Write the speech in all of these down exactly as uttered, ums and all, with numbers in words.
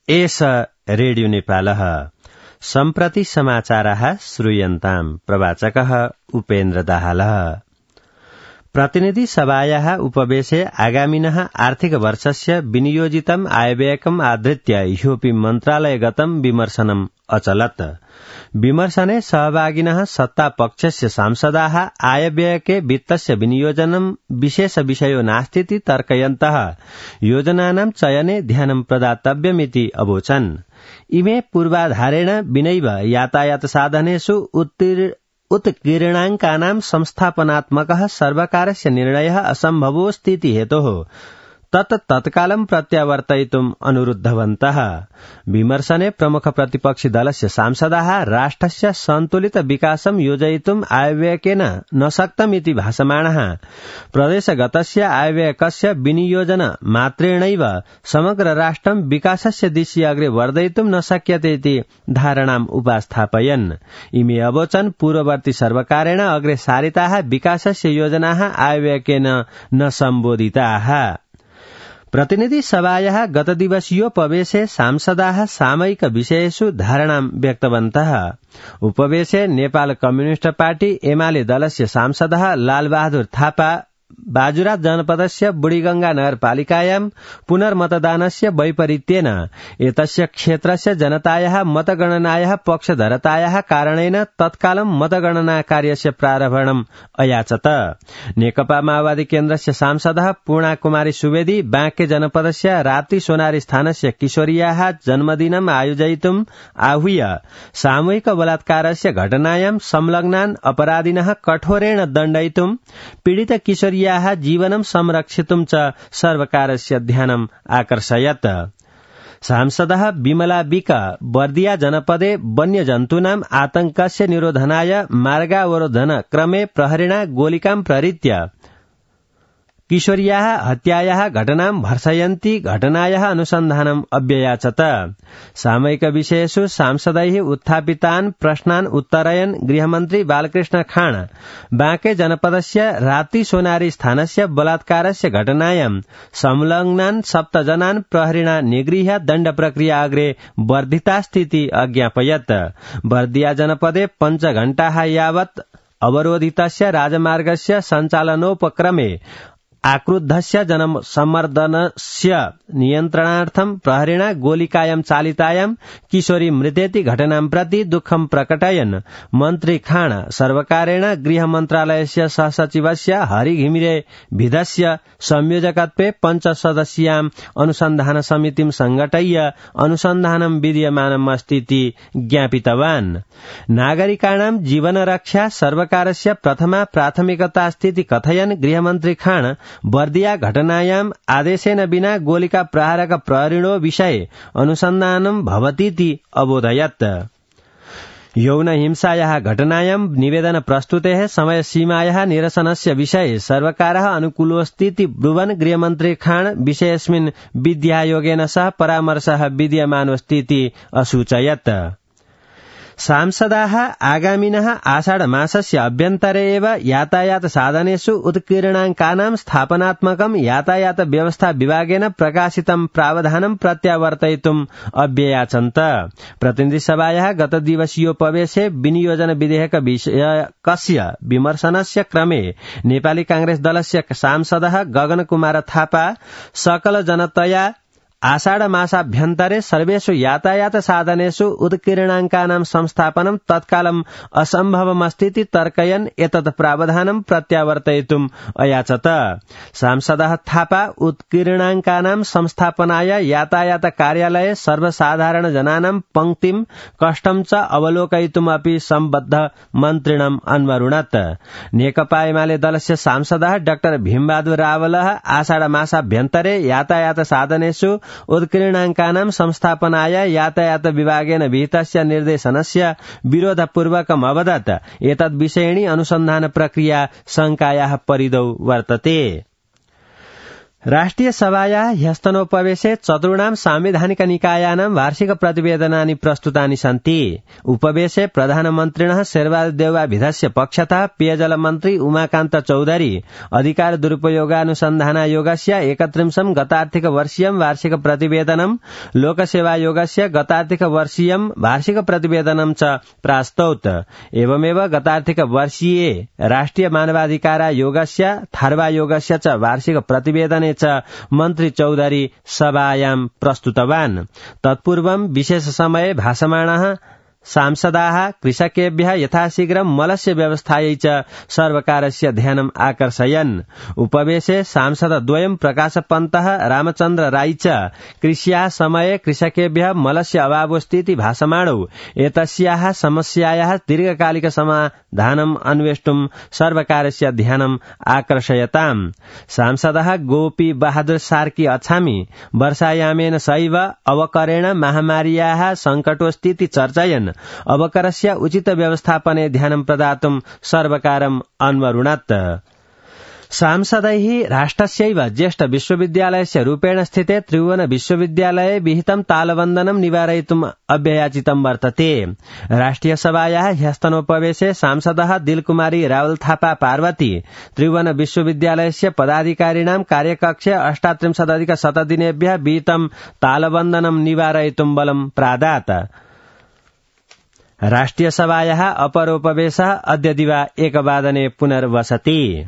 एष रेडियो नेपालः सम्प्रति समाचाराः श्रूयन्ताम् प्रवाचकः उपेन्द्र दाहालः। प्रतिनिधि सभायाः उपवेशे आगामिनः आर्थिक वर्षस्य विनियोजितम् आयव्ययकम् आधृत्य ह्योपि मन्त्रालयगतं विमर्शनम् अचलत्। विमर्शने सहभागिनः सत्तापक्षस्य सांसदाः आयव्ययके वित्तस्य विनियोजनं विशेष विषयो नास्तीति तर्कयन्तः योजनानां चयने ध्यानं प्रदातव्यमिति अवोचन्। इमे पूर्वाधारेण विनैव यातायात साधनेषु उत्कीर्णाङ्कानां संस्थापनात्मकः सर्वकारस्य निर्णयः असम्भवोऽस्तीति हेतोः तत् तत्कालं प्रत्यावर्तयितुम् अनुरुद्धवन्तः। विमर्शने प्रमुख प्रतिपक्षी दलस्य सांसदाः राष्ट्रस्य सन्तुलित विकासं योजयितुम् आयव्ययकेन न शक्तमिति भाषमाणः प्रदेशगतस्य आयव्ययकस्य विनियोजन मात्रेणैव समग्र राष्ट्रं विकासस्य दिशि अग्रे वर्धयितुं न शक्यते इति धारणाम् उपस्थापयन्। इमे अवोचन् पूर्ववर्ती सर्वकारेण अग्रे सारिताः विकासस्य योजनाः आयव्ययकेन न सम्बोधिताः। प्रतिनिधि सभायाः गतदिवसीयोपवेशे सांसदाः सामयिक विषयेषु धारणां व्यक्तवन्तः। उपवेशे नेपाल कम्युनिष्ट पार्टी एमाले दलस्य सांसदः लालबहादुर थापा बाजुरात जनपदस्य बुढीगंगा नगरपालिकायां पुनर्मतदानस्य वैपरीत्येन एतस्य क्षेत्रस्य जनतायाः मतगणनायाः पक्षधरतायाः कारणेन तत्कालं मतगणना कार्यस्य प्रारम्भम् अयाचत। नेकपा माओवादी केन्द्रस्य सांसदः पूर्णा कुमारी सुवेदी बाँके जनपदस्य राप्ती सोनारी स्थानस्य किशोर्याः जन्मदिनम् आयोजयितुम् आहूय सामूहिक बलात्कारस्य घटनायां संलग्नान् अपराधिनः कठोरेण दण्डयितुम् पीडित किशोर्याः जीवनं संरक्षितुं च सर्वकारस्य ध्यानम् आकर्षयत्। सांसदः विमला विक बर्दिया जनपदे वन्यजन्तूनाम् आतंकस्य निरोधनाय मार्गावरोधन क्रमे प्रहरिणा गोलिकां प्रहृत्य किशोर्याः हत्यायाः घटनां भर्सयन्ती घटनायाः अनुसन्धानम् अव्ययाचत। सामयिक विषयेषु सांसदैः उत्थापितान् प्रश्नान् उत्तरयन् गृहमन्त्री बालकृष्ण खाँड बाँके जनपदस्य राप्ती सोनारी स्थानस्य बलात्कारस्य घटनायां संलग्नान् सप्तजनान् प्रहरिणा निगृह्य दण्ड प्रक्रिया अग्रे वर्धितास्तीति अज्ञापयत्। बर्दिया जनपदे पञ्चघण्टाः यावत् अवरोधितस्य राजमार्गस्य सञ्चालनोपक्रमे आक्रुद्धस्य जनसम्मर्दनस्य नियन्त्रणार्थं प्रहरिणा गोलिकायां चालितायां किशोरी मृतेति घटनां प्रति दुःखं प्रकटयन् मन्त्री खाँड सर्वकारेण गृह मन्त्रालयस्य सहसचिवस्य हरि घिमिरे भिदस्य संयोजकत्वे पञ्चसदस्याम् अनुसन्धान समितिं संघटय्य अनुसन्धानं विद्यमानम् अस्तीति ज्ञापितवान्। नागरिकाणां जीवनरक्षा सर्वकारस्य प्रथमा प्राथमिकतास्तीति कथयन् गृहमन्त्री खाँड बर्दिया घटनायाम् आदेशेन विना गोलिका प्रहारक प्रहरिणो विषये अनुसन्धानं भवतीति अबोधयत्। यौन हिंसायाः घटनायां निवेदन प्रस्तुतेः समय सीमायाः निरसनस्य विषये सर्वकारः अनुकूलोऽस्तीति ब्रुवन् गृहमन्त्री खाँड विषयेऽस्मिन् विद्यायोगेन सह परामर्शः विद्यमानोऽस्तीति असूचयत्। सांसदाः आगामिनः आषाढ मासस्य अभ्यन्तरे एव यातायात साधनेषु उत्कीर्णाङ्कानां स्थापनात्मकं यातायात व्यवस्था विभागेन प्रकाशितं प्रावधानं प्रत्यावर्तयितुम् अव्ययाचन्त। प्रतिनिधि सभायाः गतदिवसीयोपवेशे विनियोजन विधेयक विषयकस्य विमर्शनस्य क्रमे नेपाली कांग्रेस दलस्य सांसदः गगन कुमार थापा सकल जनतया आषाढ मासाभ्यन्तरे सर्वेषु यातायात साधनेषु उत्कीर्णाङ्कानां संस्थापनं तत्कालम् असम्भवमस्तीति तर्कयन् एतत् प्रावधानं प्रत्यावर्तयितुम् अयाचत। सांसदः थापा उत्कीर्णाङ्कानां संस्थापनाय यातायात कार्यालये सर्वसाधारण जनानां पंक्तिं कष्टं च अवलोकयितुम् अपि सम्बद्ध मन्त्रिणम् अन्वरुणत्। नेकपा एमाले दलस्य सांसदः डाक्टर भीमबहादुर रावलः आषाढ मासाभ्यन्तरे यातायात साधनेषु उत्कीर्णाङ्कानां संस्थापनाय यातायात विभागेन विहितस्य निर्देशनस्य विरोधपूर्वकम् अवदत् एतद् विषयिणी अनुसन्धान प्रक्रिया शङ्कायाः परिधौ वर्तते। राष्ट्रिय सभायाः ह्यस्तनोपवेशे चतुर्णां सांविधानिक निकायानां वार्षिक प्रतिवेदनानि प्रस्तुतानि सन्ति। उपवेशे प्रधानमन्त्रिणः शेरबहादुरदेउवाभिधस्य पक्षतः पेयजल मन्त्री उमाकान्त चौधरी अधिकार दुरुपयोगानुसन्धानायोगस्य एकत्रिंशं गतार्थिक वर्षीयं वार्षिक प्रतिवेदनं लोकसेवायोगस्य गतार्थिक वर्षीयं वार्षिक प्रतिवेदनं च प्रास्तौत। एवमेव गतार्थिक वर्षीये राष्ट्रिय मानवाधिकारायोगस्य थार्वायोगस्य च वार्षिक प्रतिवेदने च मन्त्री चौधरी सभायां प्रस्तुतवान्। तत्पूर्वं विशेष समये भाषमाणः सांसदाः कृषकेभ्यः यथाशीघ्रं मलस्य व्यवस्थायै च सर्वकारस्य ध्यानम् आकर्षयन्। उपवेशे सांसदद्वयं प्रकाशपन्तः रामचन्द्र राई च कृष्याः समये कृषकेभ्यः मलस्य अभावोऽस्तीति भाषमाणौ एतस्याः समस्यायाः दीर्घकालिक समाधानम् अन्वेष्टुं सर्वकारस्य ध्यानम् आकर्षयताम्। सांसदः गोपी बहादुर सार्की अछामी वर्षायामेन सैव अवकरेण महामार्याः सङ्कटोऽस्तीति चर्चयन् अवकरस्य उचित व्यवस्थापने ध्यानं प्रदातुं सर्वकारम् अन्वरुणत्। सांसदैः राष्ट्रस्यैव ज्येष्ठ विश्वविद्यालयस्य रूपेण स्थिते त्रिभुवन विश्वविद्यालये विहितं तालबन्धनं निवारयितुम् अभ्ययाचितं वर्तते। राष्ट्रिय सभायाः ह्यस्तनोपवेशे सांसदः दिलकुमारी रावल थापा पार्वती त्रिभुवन विश्वविद्यालयस्य पदाधिकारिणां कार्यकक्षे अष्टात्रिंशदधिक शतदिनेभ्यः विहितं तालबन्धनं निवारयितुं बलं प्रादात्। राष्ट्रिय सभायाः अपरोपवेशः अद्य दिवा एकवादने पुनर्वसति।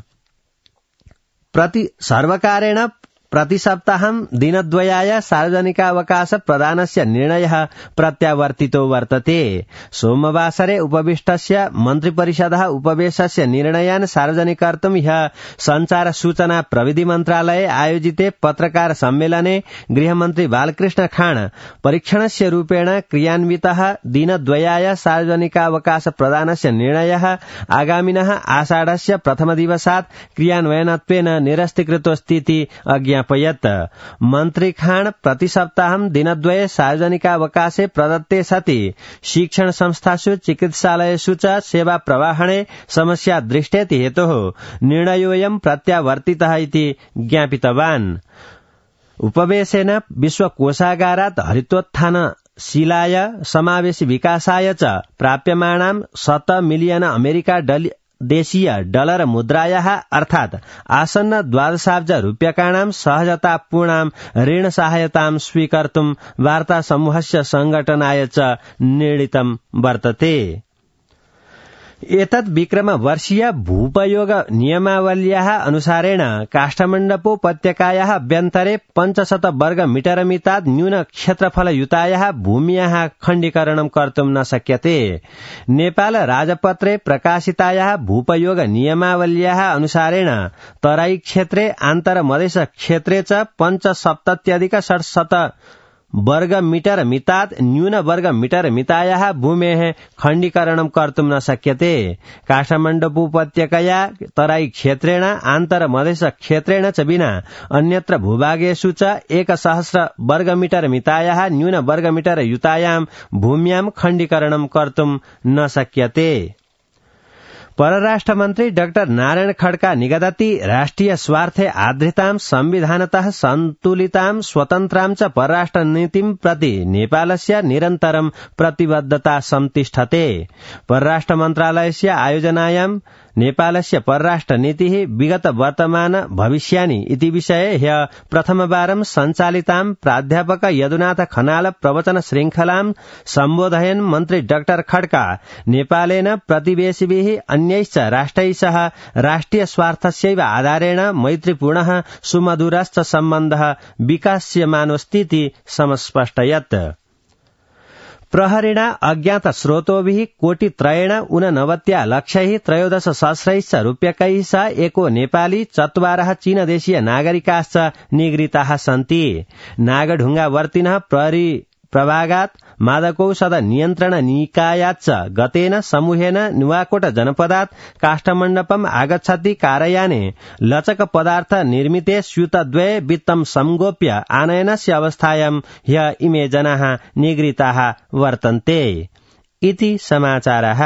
प्रति सर्वकारेण प्रतिसप्ताहं दिनद्वयाय सार्वजनिकावकाश प्रदानस्य निर्णयः प्रत्यावर्तितो वर्तते। सोमवासरे उपविष्टस्य मन्त्रिपरिषदः उपवेशस्य निर्णयान् सार्वजनिकर्तुं ह्यः संचार सूचना प्रविधि मन्त्रालये आयोजिते पत्रकार सम्मेलने गृहमन्त्री बालकृष्ण खाण परीक्षणस्य रूपेण क्रियान्वितः दिनद्वयाय सार्वजनिकावकाश प्रदानस्य निर्णयः आगामिनः आषाढस्य प्रथमदिवसात् क्रियान्वयनत्वेन निरस्तीकृतोऽस्तीति अज्ञापयत्। मन्त्री खाण प्रतिसप्ताहं दिनद्वये सार्वजनिकावकाशे प्रदत्ते सति शिक्षण संस्थासु चिकित्सालयेषु च सेवा प्रवाहणे समस्या दृष्टेति हेतोः निर्णयोऽयं प्रत्यावर्तितः इति ज्ञापितवान्। उपवेशेन विश्वकोषागारात् हरितोत्थान शीलाय समावेशी विकासाय च प्राप्यमाणां शत मिलियन अमेरिका डल देशीय डलर मुद्रायाः अर्थात् आसन्न द्वादशाब्ज रूप्यकाणां सहजतापूर्णां ऋण सहायतां स्वीकर्तुं वार्ता समूहस्य संघटनाय च निर्णीतं वर्तते। एतद् विक्रम वर्षीय भूपयोग नियमावल्याः अनुसारेण काष्ठमण्डपोपत्यकायाः अभ्यन्तरे पञ्चशत वर्ग मीटर मितात् न्यून क्षेत्रफलयुतायाः भूम्याः खण्डीकरणं कर्तुं न शक्यते। नेपाल राजपत्रे प्रकाशितायाः भूपयोग नियमावल्याः अनुसारेण तराई क्षेत्रे आन्तरमधेश क्षेत्रे च पञ्चसप्तत्यधिक षट्शत वर्ग मीटर मितात् न्यून वर्ग मीटर मितायाः भूमेः खण्डीकरणं कर्तुं न शक्यते। काठमाण्डूपत्यकया तराई क्षेत्रेण आन्तरमधेश क्षेत्रेण च विना अन्यत्र भूभागेषु च एकसहस्र वर्ग मीटर मितायाः न्यून वर्ग मीटर युतायां भूम्यां खण्डीकरणं कर्तुं न शक्यते। परराष्ट्र मन्त्री डाक्टर नारायण खड्का निगदति राष्ट्रिय स्वार्थे आधृतां संविधानतः सन्तुलितां स्वतन्त्रां च परराष्ट्र नीतिं प्रति नेपालस्य निरन्तरं प्रतिबद्धता संतिष्ठते। परराष्ट्र मन्त्रालयस्य आयोजनायां नेपालस्य परराष्ट्र नीतिः विगत वर्तमान भविष्यानि इति विषये ह्यः प्रथमवारं सञ्चालितां प्राध्यापक यदुनाथ खनाल प्रवचन श्रृङ्खलां सम्बोधयन् मन्त्री डाक्टर खड्का नेपालेन प्रतिवेशिभिः अन्यैश्च राष्ट्रैः सह राष्ट्रिय स्वार्थस्यैव आधारेण मैत्रीपूर्णः सुमधुरश्च सम्बन्धः विकास्यमानोऽस्तीति समस्पष्टयत्। प्रहरिणा अज्ञात स्रोतोभिः कोटित्रयेण ऊननवत्या लक्षैः त्रयोदश सहस्रैश्च रूप्यकैः सह एको नेपाली चत्वारः चीनदेशीय नागरिकाश्च निगृहीताः सन्ति। नागढुङ्गावर्तिनः प्रहरी प्रभागात् मादकौषध नियन्त्रण निकायाच्च गतेन समूहेन नुवाकोट जनपदात् काष्ठमण्डपम् आगच्छति कारयाने लचक पदार्थ निर्मिते स्यूतद्वये वित्तं संगोप्य आनयनस्य अवस्थायां ह्यः इमे जनाः निगृहीताः वर्तन्ते इति समाचारः।